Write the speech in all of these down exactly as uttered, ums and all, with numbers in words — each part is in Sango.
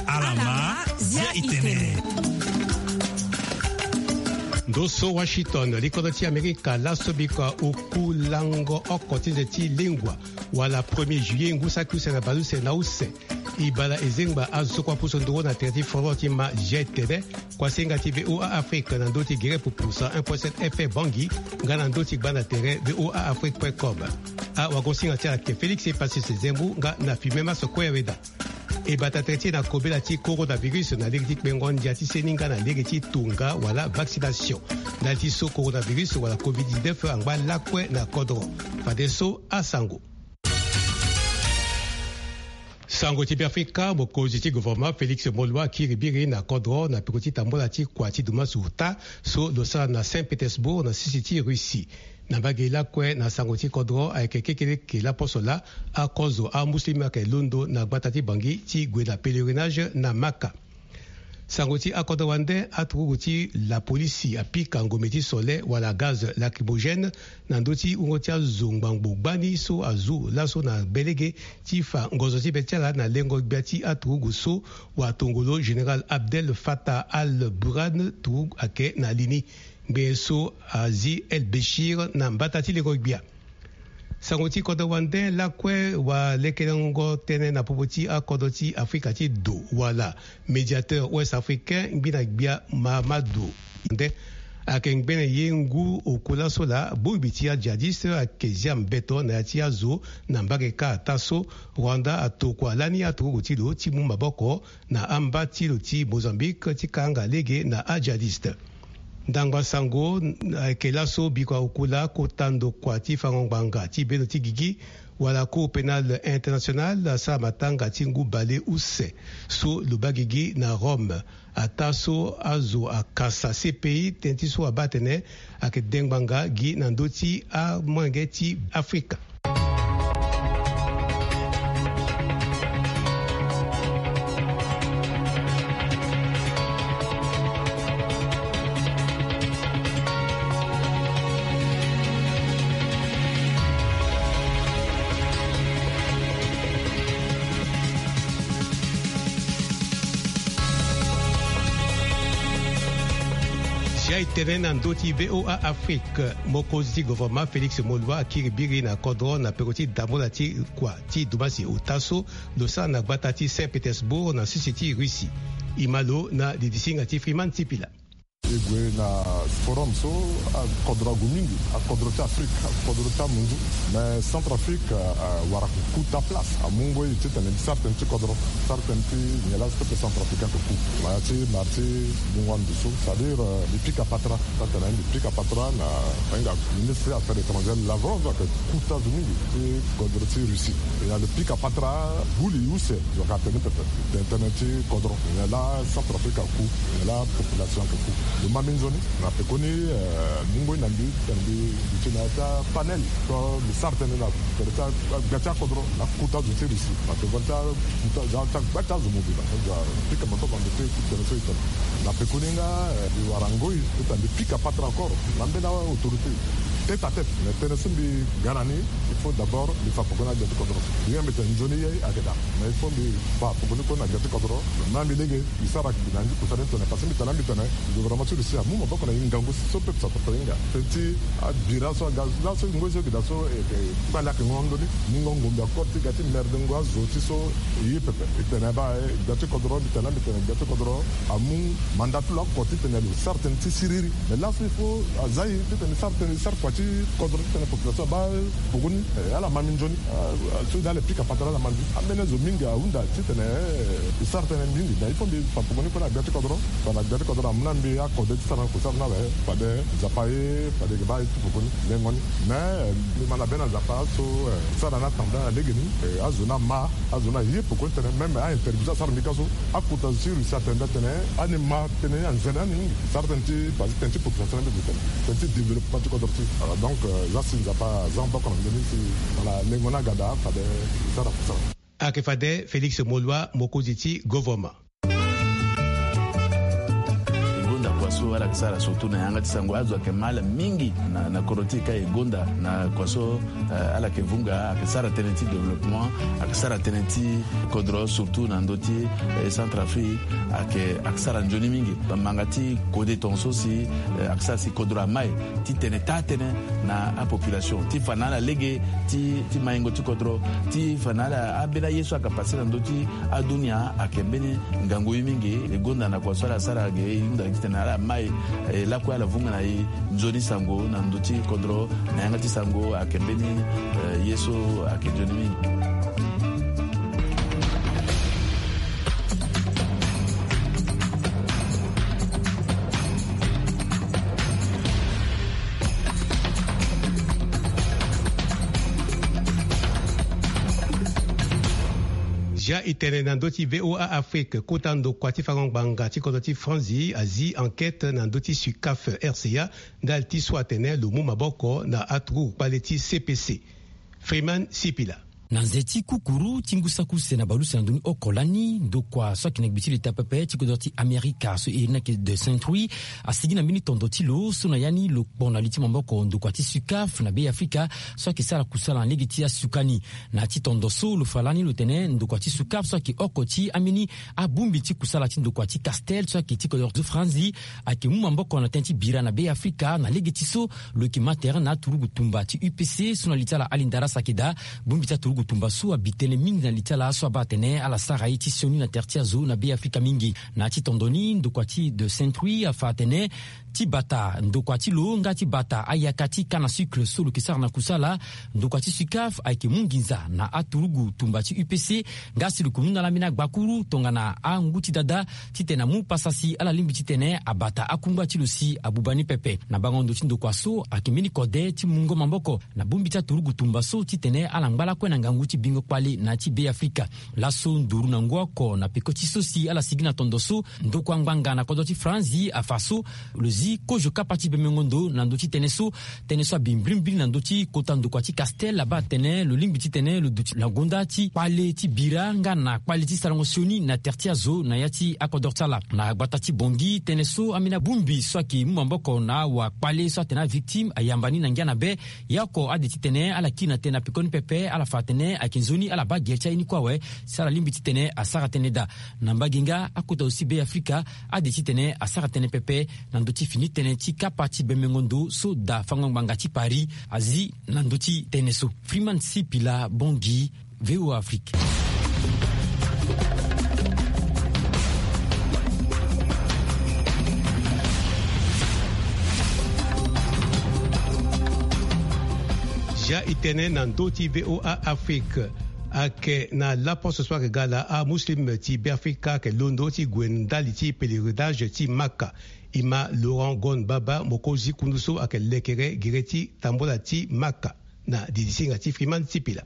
Ala ma zia itene. Ndo so Washington, likodro ti Amerika laso bikua oku lango oko ti nze ti lengua wala premier juillet ngu saki use na baleuse na use. E bala e zengba azo so kue apusu nduru na tere ti foro ti ma zia itene. Kuasinga ti V O A Afrique na ndö ti gere pupu cent un point sept F M Bangui nga na ndö ti gbanda tere V O A Afrique point com. Awagosinga ti ala ke Félix Epasis Zembu nga na filme maso kue weda. E bata tere ti e na kobela ti coronavirus na lege ti kpengo ndia ti seni nga na lege ti tonga wala vaccination. Ndali ti so coronavirus wala covid dix-neuf angba lakue na kodro. Fadeso asango. Sango ti Beafrika, mokonzi ti gouvernement Félix Moloua akiri biri na kodro na peko ti tambola ti kua ti dumasu ota so lo sara na Saint-Pétersbourg na sisi ti Russie. Na mbage lakue na sango ti kodro ayeke kekeleke laposo laa akozo amuslim ayeke londo na gbata ti Bangui ti gue na pèlerinage na Maka. Sango ti akodro wande, aturugu ti lapolisi apika ngombe ti sole wala gaz lacrymogène na ndö ti wungo ti azo ngbangbo gbani so azu laso na belege ti fa ngozo ti be ti ala na lengo gbia ti aturugu so watongolo général Abdel Fattah al-Burhan turugu ayeke na li ni. Ngbene so azi El Béchir na mbata ti lengo gbia. Sango ti kodro wande lakue, walekelengo tënë na popo ti akodro ti Afrika ti do wala médiateur ouest africain ngbina gbia Mahamadou nde ayeke ngbene ye ngu oku laso laa bongbi ti ajihadiste ayeke zia mbeto na ya ti azo na mbage kâ ataa so Rwanda atokua lani aturugu ti lo ti mu maboko na amba ti lo ti Mozambique ti kanga lege na ajihadiste. Ndangba sango ayeke laso bikua oku laa kota ndokua ti fango ngbanga ti bendo ti gigi wala Cour pénale internationale asara matanga ti ngu bale use so lo baa gigi na Rome. Ataa so azo akasa C P I tënë ti so abaa atene ayeke de ngbanga gi na ndö ti amolenge ti Afrika. Si aye tene na ndö ti V O A Afrique, mokonzi ti gouvernement Félix Moloua akiri biri na kodro na peko ti damola ti kua ti dumbasi ota so lo sara na gbata ti Saint-Pétersbourg na sisi ti Russie. E ma lo na lidisinga ti Freeman Tipila. E gue na forum so akodro ague mingi, akodro ti Afrique, akodro ti amunzu. Mais Centrafrique, euh, wara kuta place. Amu ngoi titene mbi sara tënë ti kodro, sara tënë ti nyen laa so peuple centrafricain ayeke ku. Na ya ti mara ti mungo ando so, c'est-à-dire, euh, mbi pika patara. Titene mbi pika patara na, na hinga ministre affaires étrangères Lavrov ayeke kuta zo mingi ti kodro ti Russie. E na lo pika patara buli use. Zo ka tene pepe tene tënë ti kodro. Nyen laa Centrafrique aku, nyen laa population ayeke ku. Lo ma minzoni na pekoni, eh, mu ngoi na mbi titene mbi duti na ya ti apanel so mbi sara tënë na tere ti agbia ti akodro na kuta zo ti Russie. Na pekoni ti akuta za ti agbia ti azo mobimba so mbi pika moto na ndö ti tënë so e tene. Na pekoni nga, eh, mbi wara ngoi titene mbi pika patara encore na mbeni autorité tête à tête. Mais tënë so mbi ga na ni, il faut d'abord mbi fa pekoni na gbia ti kodro. Mbi nga mbi tene nzoni ye ayeke daa. Mais il faut mbi fa pekoni kue na gbia ti kodro. Na mbi lege mbi sara mbi na ngu kusara ni tene parce que mbi tene mbi tene gouvernement ti Russie amu maboko na e ngangu so peuple centrafricain ahinga. Tënë ti abira so aga laso ngoi so e gi daa so e, e kpale ayeke ngongo ndoni. Mungo ngombe akor ti ga ti merde ngo azo ti so e ye pepe. E tene baa, eh, gbia ti kodro mbi tene mbi tene gbia ti kodro amu mandat ti lo oko titene lo sara tënë ti siriri. Mais laso il faut aza e titene sara tënë, sara kua ti kodro titene population abaa pekoni, eh, ala ma minzoni. Ah, so ni ala pika patara ala ma mbi. Ambeni azo mingi ahunda titene, eh, e sara tënë mingi. Mais il faut mbi fa pekoni kue na gbia ti kodro. Fa na gbia ti kodro amu na mbi akode ti sara na kusara ni awe. Fade Nzapa aye, fade e yeke baa e tu pekoni lengo ni. Mais, eh, mbi ma na be na Nzapa so, eh, sara na atambula na legeni, eh, azo ni ama. Azo ni aye pekoni tene même a-interview so asara mbi ka so, akota zo ti Russie atene mbi atene ani ma tënë ni anzene ani mingi. Sara tënë ti base tënë ti population ni mbi tene tënë ti développement ti kodro ti. Voilà, donc, euh, za si Nzapa aza maboko na ndö ni si na lengo ni aga daa fade e sara kusara. Ayeke fade Félix Moloua, mokonzi ti gouvernement. Ala yeke sara surtout na yanga ti sango, azo ayeke ma ala mingi na, na kodro ti e ka e gonda na kua so, eh, ala yeke vunga, ayeke sara tënë ti développement, ayeke sara tënë ti kodro surtout na ndö ti, eh, Centrafrique, ayeke, ayeke sara nzoni mingi. Manga ti kode tongaso si, eh, ayeke sara si kodro ama e ti tene taa-tënë na apopulation, ti fa na ala lege ti, ti maingo ti kodro, ti fa na ala ambeni aye so ayeke pase na ndö ti adunia ayeke mbeni ngangu ye mingi. E gonda na kua so ala sara ge, e hunda titene ala ma e, e lakue ala vunga na e nzoni sango na ndö ti kodro, na yanga ti sango ayeke mbeni, eh, ye so ayeke nzoni mingi. Zia e tene na ndö ti V O A Afrique, kota ndokua ti fango ngbanga ti kodro ti Franzi azi enquête na ndö ti SUCAF R C A, ndali ti so atene lo mu maboko na aturugu kpale ti C P C. Freeman Sipila. Na nze ti kukuru ti ngu saki use na bale use na ndoni oko lani, ndokua so ayeke na gbi ti leta pepe ti kodro ti Amerika so e iri ni ayeke de Saint-Louis, asigi na mbeni tondo ti lo so na ya ni lo kpo na li ti maboko ndokua ti SUCAF na Beafrika so ayeke sara kusala na lege ti asuka ni. Na ya ti tondo so lo fa lani lo tene ndokua ti SUCAF so ayeke oko ti ambeni abongbi ti kusala ti ndokua ti Castel so ayeke ti kodro ti Franzi ayeke mu maboko na tënë ti bira na Beafrika na lege ti so lo yeke ma tere na aturugu tumba ti U P C so na li ti ala Ali Ndarasaki Daa. Bongbi ti aturugu tumba so abi tënë mingi na li ti ala so abaa atene ala sara ye ti sioni na tere ti azo na Beafrika mingi. Na ya ti tondo ni ndokua ti de Saint-Louis afa atene ti bata ndokua ti lo nga ti bata ayaka ti canne à sucre so lo yeke sara na kusala, ndokua ti SUCAF ayeke mu nginza na aturugu tumba ti U P C nga si lo yeke mu na ala ambeni agbakuru tongana angu ti dada titene amu pasa si ala lingbi titene abata akungba ti lo si abuba ni pepe. Na bango ndo ti ndokua so ayeke mbeni kode ti mungo maboko na bongbi ti aturugu tumba so titene ala ngba lakue na ngangu ti bingo kpale na ya ti Beafrika. Laso nduru na ngu oko na peko ti so si ala sigi na tondo so, ndokua ngbanga na kodro ti Franzi afa so lo zi kozo kapa ti bemengo ndo na ndö ti tënë so. Tënë so abi mbrimbri na ndö ti kota ndokua ti Castel abaa atene lo lingbi titene lo duti na gonda ti kpale ti bira nga na kpale ti sarango sioni na tere ti azo na ya ti akodro ti ala. Na gbata ti Bangui, tënë so ambeni abongbi so ayeke mu maboko na awakpale so atene avictime ayamba ni na ngia na be. Ya oko ade titene ala kiri na tënë na pekoni pepe, ala fa atene ayeke nzoni ala baa gere ti aye ni kue awe si ala lingbi titene asara tënë daa. Na mbage nga akota aussi Beafrika ade titene asara tënë pepe na ndö ti fini tënë ti kapa ti bemengo ndo so daa fango ngbanga ti Paris azi na ndö ti tënë so. Freeman Sipila, Bangui, V O A Afrique. Zia e tene na ndö ti V O A Afrique. Ayeke na laposo so ayeke ga laa amuslim ti Beafrika ayeke londo ti gue ndali ti pèlerinage ti Maka. E ma Laurent Gon Baba, mokonzi kundu so ayeke lekere gere ti tambola ti Maka. Na didisinga ti Freeman Sipila.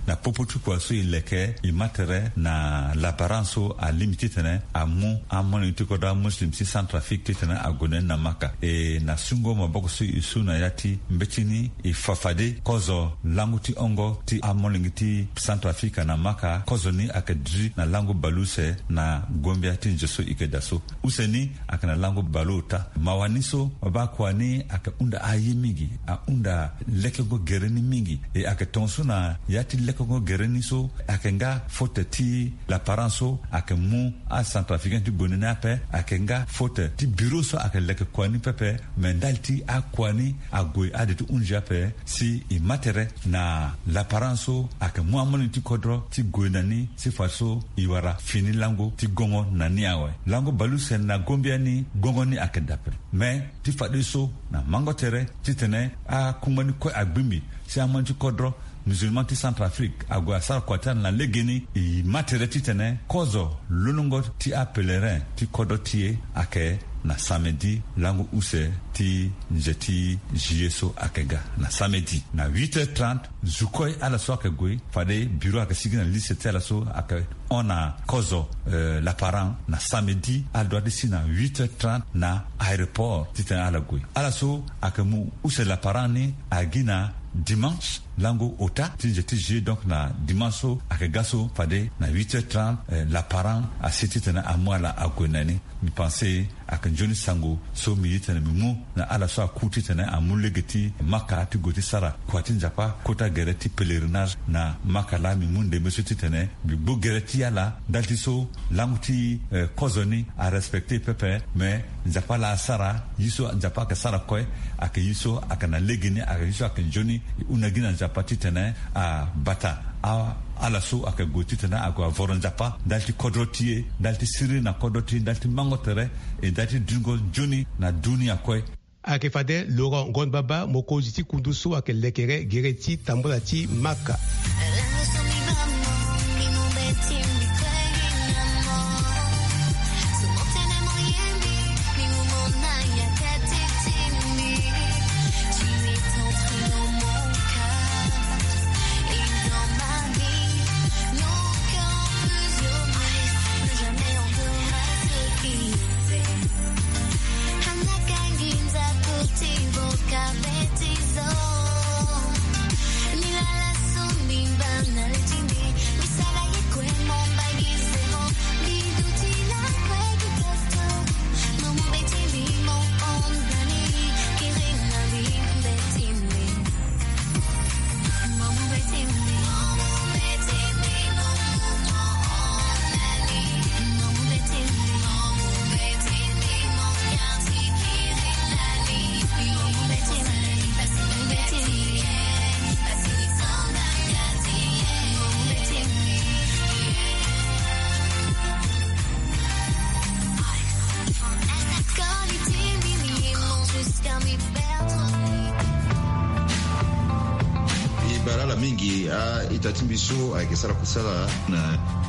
Na popo ti kua so e leke, e ma tere na laparan so alingbi titene amu amolenge ti kodro amuslim ti Centrafrique titene ague na ni na Maka. E na sungo maboko so e su na ya ti mbeti ni, e fa fade kozo langu ti hongo ti amolenge ti Centrafrique na Maka, kozo ni ayeke duti na langu baleuse na gombia ti nze so e yeke daa so. Use ni ayeke na lango baleota. Mawa ni so babaa kua ni ayeke hunda aye mingi, ahunda lekengo gere ni mingi. E ayeke tongaso na ya ti lekengo gere ni so ayeke nga faute ti laparan so ayeke mu acentrafricain ti gue na ni ape, ayeke nga faute ti biro so ayeke leke kua ni pepe. Me ndali ti akua ni ague ade ti hunzi ape, si e ma tere na laparan so ayeke mu amolenge ti kodro ti gue na ni si fadeso e wara fini lango ti gongo na ni awe. Lango baleuse na gombia ni gongo ni ayeke dape. Me ti fadeso na mango tere titene akungba ni kue agbingbi si amolenge ti kodro musulman ti Centrafrique ague asara kua ti ala na legeni, e ma tere titene kozo lolongo ti apèlerin ti kodro ti e ayeke na samedi lango use ti nze ti juillet so ayeke ga na samedi na huit heures trente. Zukoi ala so ayeke gue fade bureau ayeke sigi na liste ti ala so ayeke hon na kozo, eh, laparan na samedi ala dua ti si na huit heures trente na aéroport titene ala gue. Ala so ayeke mu use laparan ni agi na dimanche lango ota ti nze ti juillet, donc na dimanche so ayeke ga so fade na huit heures trente, eh, laparan asi titene amu ala ague na ni. Mbi pense ayeke nzoni sango so mbi ye titene mbi mu na ala so aku titene amu lege ti maka ti gue ti sara kua ti Nzapa kota gere ti pèlerinage na maka laa mbi mu ndembe so titene mbi gbu gere ti ala ndali ti so lango ti, eh, kozo ni arespecte pepe. Me Nzapa laa asara ye so Nzapa ayeke sara kue, ayeke ye so ayeke na lege ni, ayeke ye so ayeke nzoni. E hunda gi na Nzapa titene abata a ala so ayeke gue titene ague avoro Nzapa ndali ti kodro ti e, ndali ti siriri na kodro ti e, ndali ti mango tere, e ndali ti dingo nzoni na dunia kue. Ayeke fade Laurent Ngon Baba, mokonzi ti kundu so ayeke lekere gere ti tambula ti maka. E bara ala mingi a-ita ti mbi so ayeke sara kusala na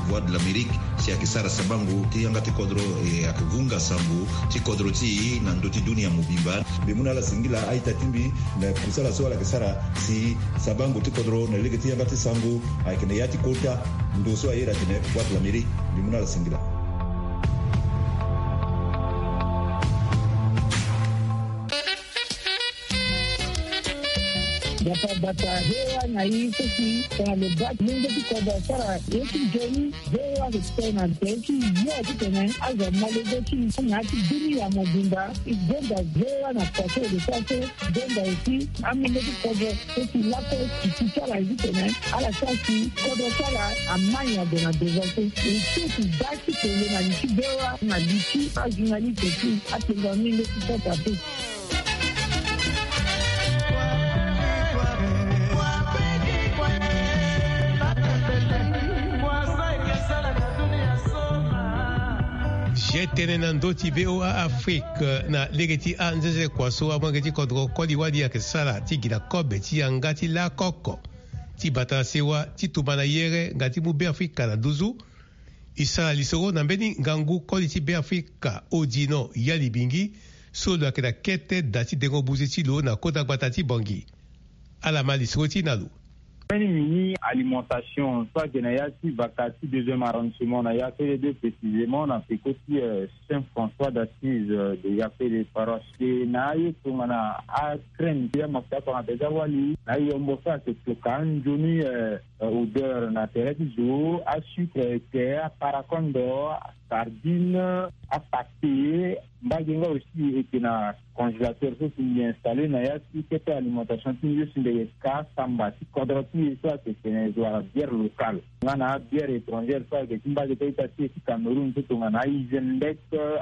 Voix de l'Amérique, si ayeke sara sabango ti yanga ti kodro, e ayeke vunga sango ti kodro ti e na ndö ti dunia mobimba. Mbi mu na ala singila a-ita ti mbi na kusala so ala yeke sara si sabango ti kodro na lege ti yanga ti sango ayeke na ya ti kota ndo so a iri atene Voix de l'Amérique. Mbi mu na ala singila. Nzapa abata V O A na e so si tongana lo baa ti lenge ti kodro asara ye ti nzoni. V O A ayeke tene na tere ti yo titene azo amolenge ti e na ya ti dunia mobimba. E gonda V O A na kua so e lo sara so. E gonda aussi amolenge ti kodro so si lakue e ti ti ala ye titene ala sara si kodro ti ala amai ague na devant so. E so si baa ti kele na li ti V O A na li ti ajournaliste ti atengo amolenge ti kota so. Ye tene na ndö ti V O A Afrique na lege ti anzenze kua so amolenge ti kodro koli wali ayeke sara ti gi na kobe ti yanga ti lakoko ti bata na sewa ti tumba na yere nga ti mu Beafrika na nduzu. E sara lisoro na mbeni ngangu koli ti Beafrika Odino Yalibingi so lo yeke na kete da ti dengo buze ti lo na kota gbata ti Bangui. Ala ma lisoro ti e na lo. Mbeni mini alimentation so ayeke na ya ti vaka ti deuxième arrondissement na Yafele deux précisément na peko ti, euh, Saint François d'Assise, euh, de Yafele paroisse. E na aye tongana acrème ti amafuta tongana déjà wali na ayombo so ayeke toka anzoni, euh, euh, odeur na tere ti zo, asucre, ete, aparakondo, asardine, apate. Mbage nga aussi eke na congélateur so si mbi installé na ya ti kete alimentation ti mbi so si mbi yeke ka samba ti kodro ti e so ayeke tene zo wala bière locale nga na abière étrangère so ayeke ti mbage ti a-ita ti e ti Cameroun so tongana aIsenbeck,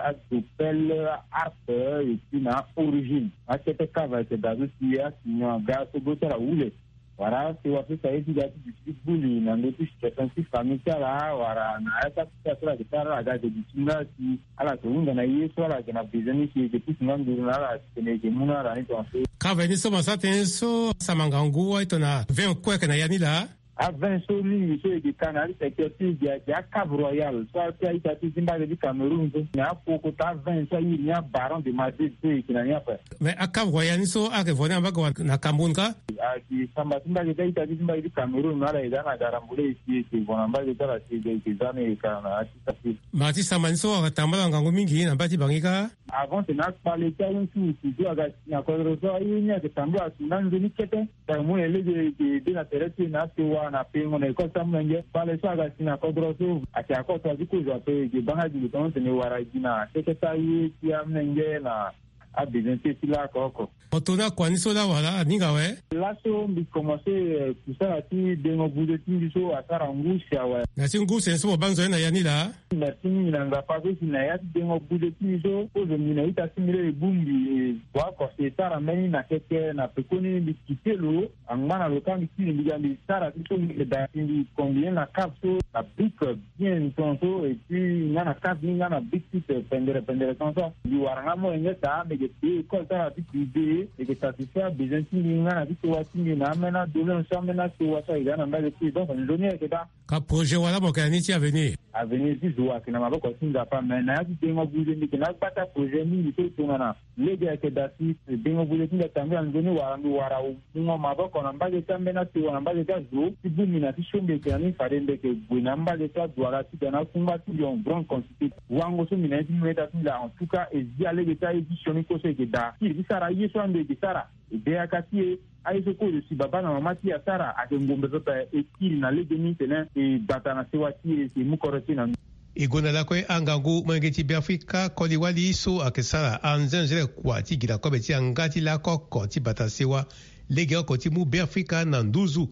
aDoppel, aHarp, et puis na aOrigine. Akete cave ayeke daa so si asinyon aga so go ti ala wule. Wala si wara so si aye ti ga ti duti ti gbuli na ndö ti situation ti famille ti ala wala na ya ti akuta so ala yeke sara ala ga ayeke duti nga si ala yeke hunda na ye so ala yeke na besoin ni si e yeke pusu nga nduru na ala si tene e yeke mu na ala ni tongaso. Cave ni so mo sara tënë so asara ngangu aye tongana vingt kue ayeke na ya ni laa. Avin so mingi so eke ka na ali secteur ti eke ake acave royal so ake aita ti ti mbage ti Cameroun so na apoko ta avin so ayiri ni abaron de Madrid so eke na ni ape. Mais acave royal ni so ake vo ni ambage wa na Cameroun ka? Ake samba ti mbage ti aita ti ti mbage ti Cameroun na ala eda na garambule eke eke vo na mbage ti ala ti eke eke za ni eke ka na ati. Ma ti samba ni so ake tambala ngangu mingi na mba ti bangi ka. Avant tena akpale ti awutu wutu so aga si na kodro so aye ni ake tambula si na nzoni kete. Tara mu na lege eke de na tere ti e na asewa na pengo na école ti amolenge kpale so aga si na kodro so ake akoto azi kozo ape eke banga gi lo tongo tene wara gi na kete ti aye ti amolenge na abezoin ti e ti lako oko. Mo to ni akua ni so laa wala aninga awe. Laso mbi komanse kusala ti dengo buze ti mbi so asara ngu si awe. Na ti ngu sene so mo baa nzoni na ya ni laa. Merci mingi na nzapa so si na ya ti dengo buze ti mbi so kozo mbi na ita ti mbi laa e bongbi e bua oko si e sara mbeni na keke na pekoni mbi kite lo angba na lo ka mbi kiri mbi ga mbi sara ti so mbi yeda si mbi combine na cave so na brique bien ton so et puis nga na cave ni nga na brique ti pendere pendere ton so mbi wara nga molenge daa mbi yeke payé école ti ala ti privé mbi yeke satisfaire abesoin ti mbi nga na ti sewa ti mbi na ambeni adoléance so ambeni asewa so ayeke daa na mbage ti e donc nzoni ayeke daa. Ka projet wala mo yeke na ni ti avenir? Avenir ti zo ayeke na maboko ti nzapa me na ya ti dengo buze mbi yeke na agba ti aprojet mingi so e tongana. Lege ayeke daa si dengo buze ti mbi atambula nzoni wala mbi wara mungo maboko na mbage ti ambeni asewa na mbage ti azo ti bongbi na ti so mbi yeke na ni fade mbi yeke gue na mbage ti adwala ti ga na akungba ti mbi en grande quantité. Wango so mbi na ye ti mbi meta ti mbi laa en tout cas e zi alege ti aye ti sioni kue so e yeke daa kiri ti sara aye so ando e yeke sara e de yaka ti e. Aye so kue lo si baba na mama ti e asara ayeke ngombe pepe e kiri na legeni tene e bata na sewa ti e si e mu kodro ti e na. E gonda lakue angangu molenge ti Beafrika koli-wali so ayeke sara anzenzele kua ti gi na kobe ti yanga ti lako oko ti bata sewa legeoko ti mu Beafrika na nduzu.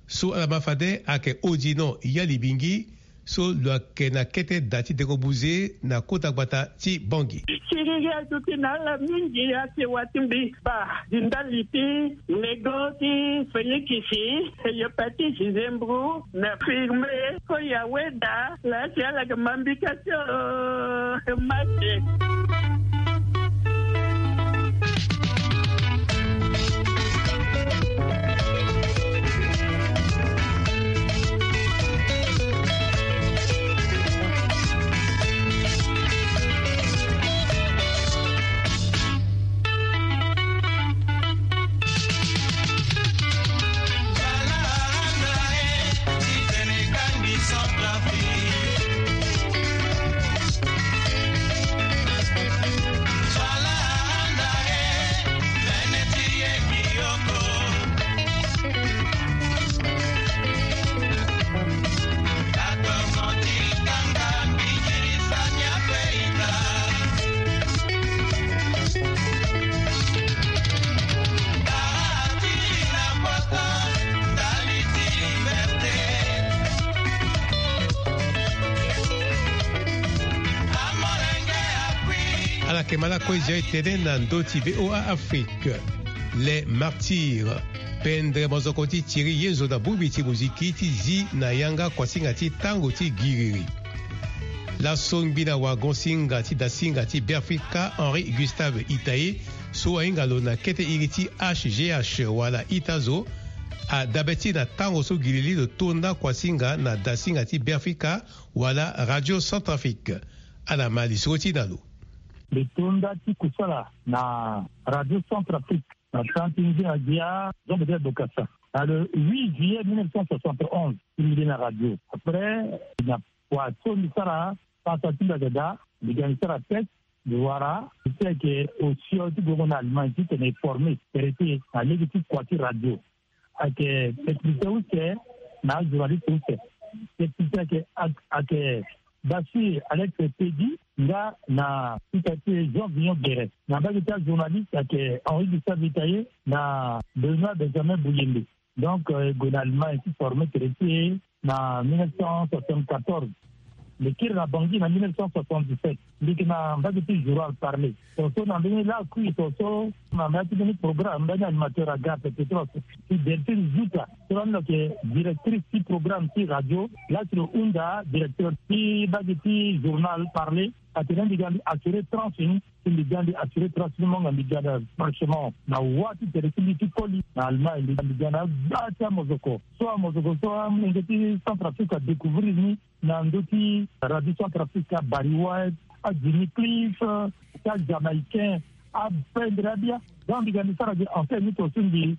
So ala ma fade ayeke Odino Yalibingi so lo yeke na kete da ti dengo buze na kota gbata ti Bangui. Siriri aduti na ala mingi asewa ti mbi baa di ndali ti lego ti Felikisi, hepatite, zembro na firme. Ko ya weda la si ala yeke ma mbi kasi o. Mate. Ala yeke ma lakue zia e tene na ndö ti V O A Afrique. Les Martyrs. Pendre mozoko ti Thierry Yezo na bongbi ti moziki ti zi na yanga kuasinga ti tango ti giriri. Laso ngbi na wagon-singa ti dasinga ti Beafrika Henri Gustave Itaye so ahinga lo na kete iri ti H G H wala ita zo, adabe ti na tango so giriri lo tonda kuasinga na dasinga ti Beafrika wala Radio Centrafrique. Ala ma lisoro ti na lo. Mbi tonda ti kusala na Radio Centrafrique na tan ti ngia gia Jean Bedel Bokassa na le huit juillet mille neuf cent soixante et onze. Ti mbi de na radio après na kua so mbi sara pasa ti mbi ayeke daa mbi ga mbi sara test. Mbi wara mbi ti ayeke osio ti gongo na Allemagne titene e forme tere ti e na lege ti kua ti radio. Ayeke technicien use na ajournaliste use. Technicien ayeke ayeke Basi Alex Pedi nga na ita ti Jean Vignon Guéret. Na mbage ti ajournaliste ayeke Henri Gustave Itaye na Benoît Benjamin Bouyembe. Donc e gue na Allemagne ti forme tere ti e na mille neuf cent soixante-quatorze. Mbi kiri na Bangui na mille neuf cent soixante-dix-sept. Mbi yeke na mbage ti journal Parler. So so na mbeni lakui so so na mbeni ti mbeni programme mbeni animateur aga ape Petros ti Delphine Zuta so lani lo yeke directrice ti programme ti radio. Laa si lo hunda directeur ti mbage ti journal Parler. Atene mbi ga mbi assurer tranche ni. Si mbi ga mbi assurer tranche ni, mo nga mbi ga na franchement na wâ ti tene ti mbi ti koli na Allemagne, mbi ga mbi ga na agba ti amozoko. So amozoko so amolenge ti Centrafrique adécouvrir ni na ndö ti radio Centrafrique, aBarry White, aJimmy Cliff, ti aJamaïcain, apendre abia. Donc mbi ga mbi sara gi antenne ni to so mbi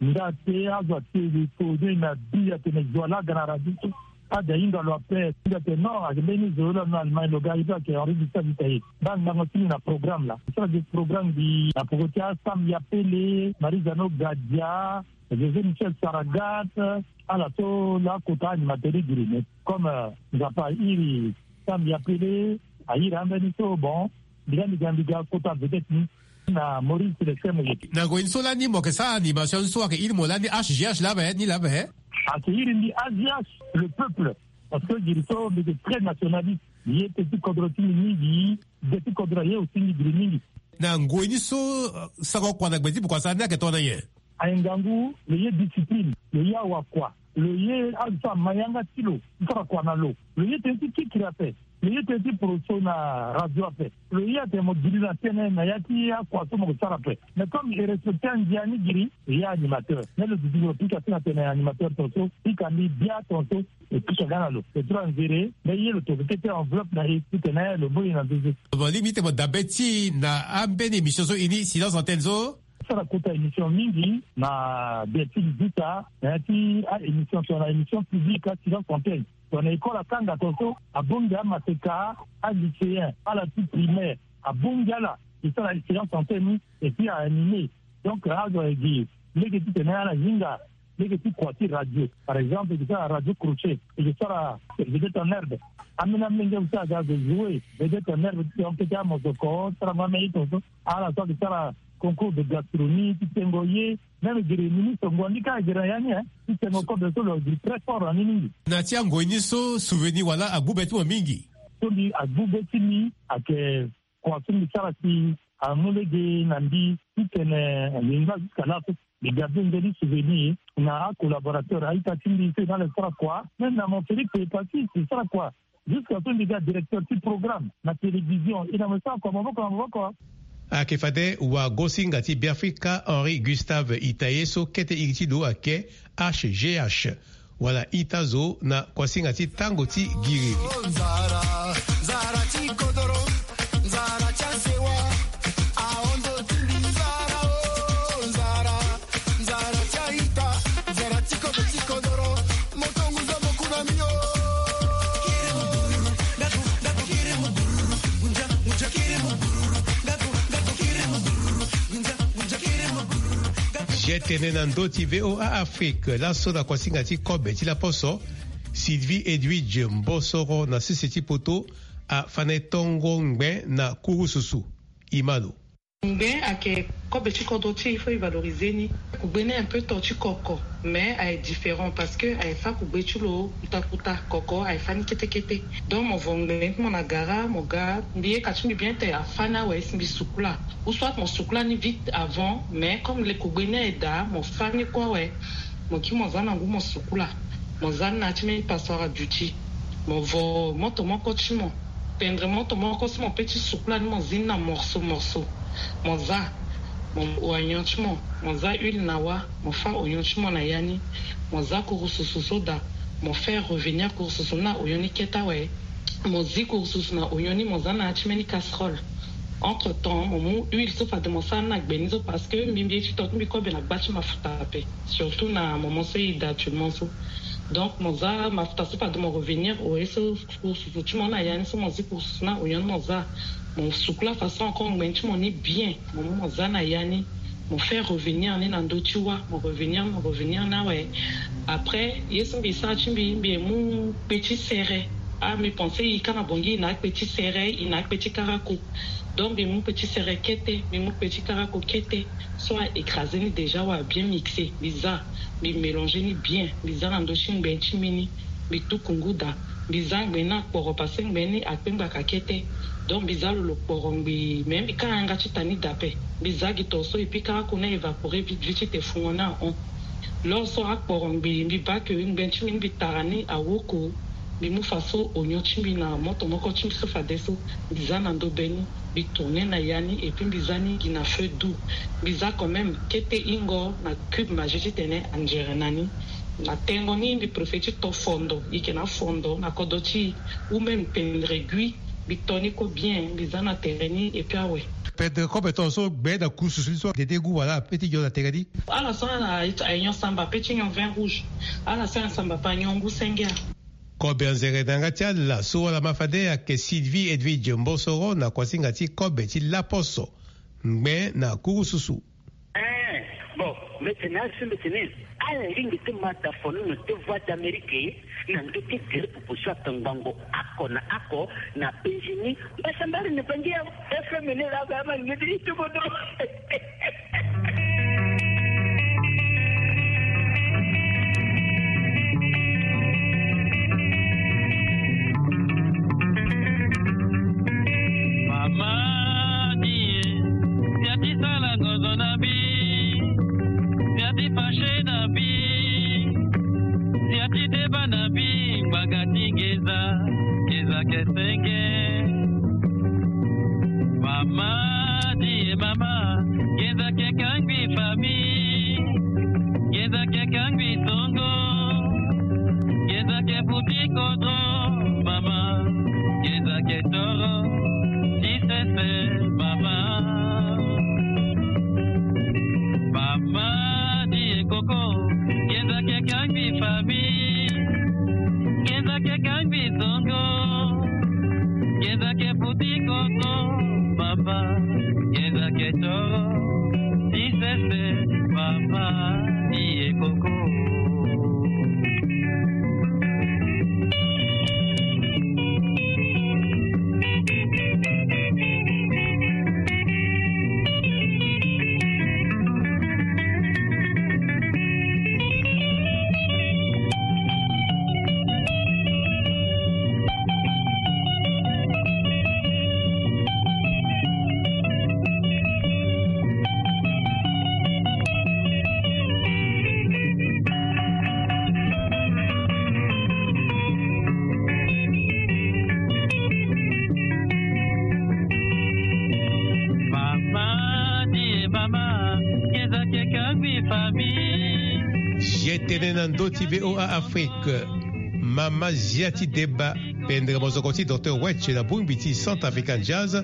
nga te azo ate gi kode na bi atene zo ala aga na radio so. Ade ahinga lo ape. Nga te non, ake mbeni zo lo na Allemagne lo ga, ake Henri Gustave Itaye. Baa ngango ti mbi na programme laa. Sara gi programme mbi na poko ti aSam Yapele, Marie-Jeanne Ogadia, José Michel Saragat, ala so laa akota animateur ti giri. Mais comme, euh, Nzapa airi Sam Yapele, airi ambeni so, bon, mbi ga mbi ga mbi ga kota vedette ni na Maurice Célestin Moyeke. Na ngoi ni so lani mo yeke sara animation ni so, ayeke iri mo lani H G H laa ape, ni laa ape? Ayeke iri mbi H G H, le peuple. Parce que giri so mbi yeke très nationaliste. Mbi ye tene ti kodro ti mbi mingi, gbe ti kodro aye aussi mbi giri mingi. Na ngoi ni so, euh, sango kua na gbe ti pokua sara ni ayeke tongana nyen? Aye ngangu, lo ye discipline, lo ye awakua, lo ye azo so ama yanga ti lo ti sara kua na lo, lo ye tene ti kikiri ape, lo ye tene ti poroso na radio ape, lo ye atene mo giri na tënë na ya ti akua so mo yeke sara ape. Mais comme e respecter andia ni giri, lo ye animateur. Mais lo duti lo pika si na tene animateur tongaso, pika mbi bia tongaso, e pika nga na lo. Lo tura nzere, mais ye lo toke kete enveloppe na e titene lo mbo ye na nzeze. Mo lingbi ti tene mo dabe ti na ambeni émission so e ni Silence Antenne so? Sara kota émission mingi na Delphine Vita, na ya ti a-émission so na émission publique, a Silence Antenne. Tongana école akanga tongaso, abongbi amaseka, alycéen, ala ti primaire, abongbi ala e sara Silence Antenne ni, et puis a-animer. Donc azo aye gi lege titene ala hinga lege ti kua ti radio. Par exemple, e ke sara radio crochet, e ke sara vedette en herbe. Ambeni amolenge so aga zo jouer vedette en herbe ti tene kete amosoko, sarango ambeni tongaso. Ala so ake sara concours de gastronomie ti tengo ye. Même gere ministre Ngondi ka gere na ya ni, hein, ti tengo kobe so lo gere très fort na ni mingi. Na ti angoi ni so, souvenir wala agbu be ti mo mingi? So mbi agbu be ti mbi ayeke kua so mbi sara si amu lege na mbi titene mbi ngba jusqu'à là so. Mbi ga be nzoni souvenir na acollaborateur a-ita ti mbi so e na ala e sara kua. Même na mon Félix Epassi e sara kua. Jusqu'à so mbi ga directeur ti programme na télévision, e na mo e sara kua maboko na maboko. Ayeke fade wagosinga ti Beafrika Henri Gustave Itaye so kete iri ti lo ayeke H G H, wala ita zo na kuasinga ti tango ti giriri. Zia tene na ndö ti V O A Afrique, laso na kuasinga ti kobe ti laposo, Sylvie Edwidge Mbossoro na sese ti poto, afâ na e tongo ngbe na kurususu. E ma lo. Ngbe ayeke kobe ti kodro ti e, il faut e valoriser ni. Kugbe ni un peu to ti koko, mais aye différent parce que aye fâ kugbe ti lo kuta kuta. Koko aye fâ ni kete kete. Donc mo vo ngbe ti mo na gara, mo ga, mbi ye ka ti mbi bien te afâ ni awe si mbi sukula. Ou soit mo sukula ni vite avant, mais comme le kugbe ni aye daa, mo fâ ni kue awe. Mo kiri mo za na ngu mo sukula. Mo za ni na ya ti mbeni passoire à duty. Mo vo moto moko ti mo, pendre moto moko si mo peut ti sukula ni, mo zi ni na morceau morceau. Mo za, mo oignon ti mo, mo za huile na wâ, mo fâ oignon ti mo na ya ni. Mo za kurususu so daa, mo faire revenir kurususu ni na oignon ni kete awe. Mo zi kurususu na oignon ni, mo za na ya ti mbeni casserole. Entre temps mo mu huile so fade mo sara ni na gbe ni so, parce que mbi mbi ye ti to ti mbi kobe na gba ti mafuta ape, surtout na moment so e daa actuellement so. Donc mo za mafuta so fade mo revenir au ye so, kurususu ti mo na ya ni so, mo zi kurususu na oignon ni mo za. Mo sukula façon encore ngbe ti mo ni bien, mo mu mo za na ya ni. Mo faire revenir ni na ndö ti wâ, mo revenir, mo revenir ni awe. Après ye so mbi sara ti mbi, mbi mu kpe ti sere. Ah, mbi pense e ka na Bangui e na akpe ti sere, e na akpe ti karako. Donc mbi mu kpe ti sere kete, mbi mu kpe ti karako kete. So a écraser ni déjà, wa bien mixer, mbi za, mbi mélanger ni bien, mbi za na ndö ti ngbe ti mbi ni. Mbi tuku ngu daa, mbi za ngbe ni akporo parce que ngbe ni akpe ngbaka kete. Donc mbi za lo lo kporo ngbii, mais mbi ka yanga ti ta ni daa ape. Mbi za gi to so, et puis karako ni a évaporer vite vite ti te fungo ni ahon. Lors so akporo ngbii, mbi baa ke ngbe ti mbi ni mbi tara ni awoko. Mbi mu fa so onyon ti mbi na moto moko ti mbi so fadeso. Mbi za na ndo be ni, mbi tourne na ya ni, et puis mbi za ni gi na feu doux. Mbi za quand même kete ingo na cube magie titene anzere na ni. Na tengo ni mbi préfère ti to fondo, ike na fondo na kodro ti ou même pendre gui. Mbi to ni ko bien, mbi za na tere ni, et puis awe. Pendre kobe ton so gbe na kurusu so dede gu wala pe ti nyon na tere ni. Ala so ala aye nyon samba pe ti nyon vin rouge. Ala so ala samba pe anyon ngu senge. Kobe anzere na yanga ti ala so wala ma fade ayeke Sylvie Edwidge Mbosoro na kuasinga ti kobe ti laposo ngbe na kurususu. Eh, bon, mbeti na asu mbeti ni. Ala lingbi ti ma ta fonono ti Voix d'Amérique na ndö ti gere popo so atongbango oko na oko na penzi ni. Mbasambari na bangi ya F M ni la ga ma ngeti ti bodo. Mama die, sia ti sala ngozo na mbi, sia ti fache na mbi, sia ti deba na mbi, ngbanga ti ngenza, ngenza ke senge. Mama die, mama, ngenza ke kangbi famille, ngenza ke kangbi songo, ngenza ke futi kodro, mama, ngenza ke toro ti sese, mama. Mama die koko, ngenza ke kangbi famille, ngenza ke kangbi songo, ngenza ke futi kodro, mama, ngenza ke toro ti sese, mama die koko. Mama die, mama, ngenza ke kangbi famille. Zia e tene na ndö ti V O A Afrique. Mama zia ti deba, pendre mozoko ti Docteur Wetch na bongbi ti Centre African Jazz,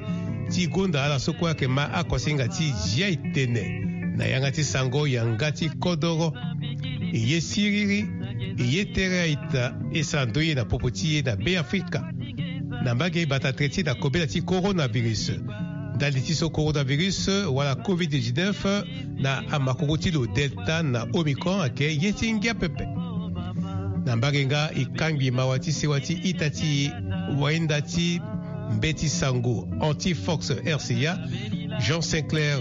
ti gonda ala so kue ayeke ma akuasinga ti zia e tene na yanga ti sango yanga ti kodoro. E ye siriri, e ye tere a-ita, e sara ndoye na popo ti e na Be Afrika. Na mbage e bata tere ti e na kobela ti coronavirus. Ndali ti so coronavirus wala covid dix-neuf na amakoko ti lo Delta na Omicron ayeke ye ti ngia pepe. Na mbage nga e kangbi mawa ti sewa ti ita ti e, wainda ti mbeti sango Anti-Fox R C A, Jean Sinclair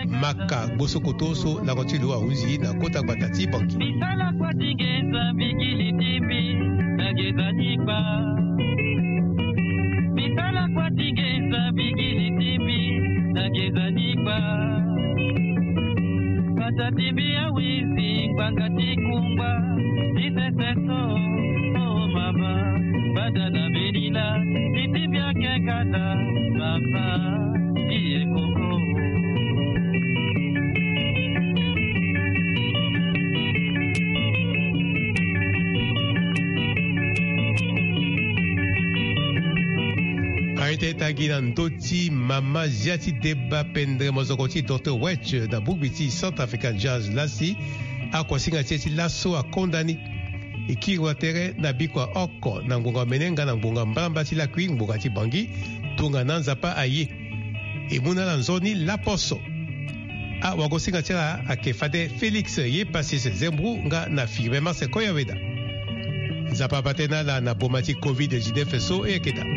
Maka, gboso koto so lango ti lo ahunzi na kota gbata ti Bangui. Misala kua ti ngenza mbigili ti mbi na ngenza ni kpa. Misala kua ti ngenza mbigili ti mbi na ngenza ni kpa. Bata ti mbi awizi ngbanga ti kungba ti sese so. Oh mama, bada na mbi lila, ti ti mbi ake kata, papa, ti ye koko. Aye ti e tangi na ndö ti mama zia ti deba pendre mozoko ti Docteur Wetch na bongbi ti Centre African Jazz lasi, akuasinga ti e ti laso akonda ni. E kiri wa tere na bikua oko na ngbonga omene nga na ngbonga mbalambala ti lakui ngbonga ti Bangui, tongana Nzapa aye. E mu na ala nzoni laposo. Awagosinga ti ala ayeke fade Félix Yepasis Zembro nga na Firmin Marcel Koyaweda. Nzapa abaa tënë na ala na boma ti covid dix-neuf so e yeke daa.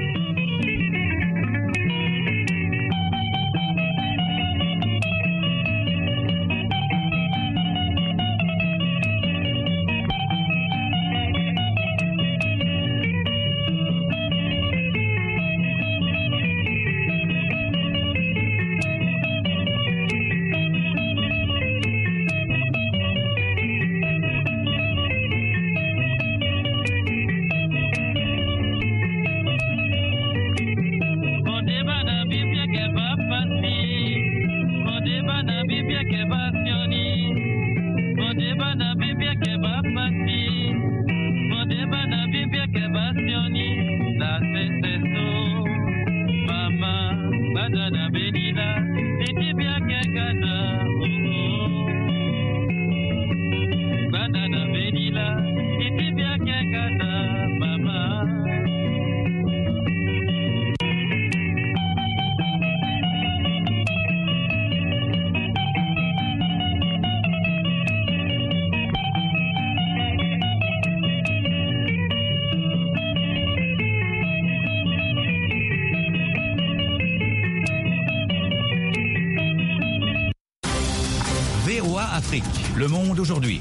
Le Monde aujourd'hui.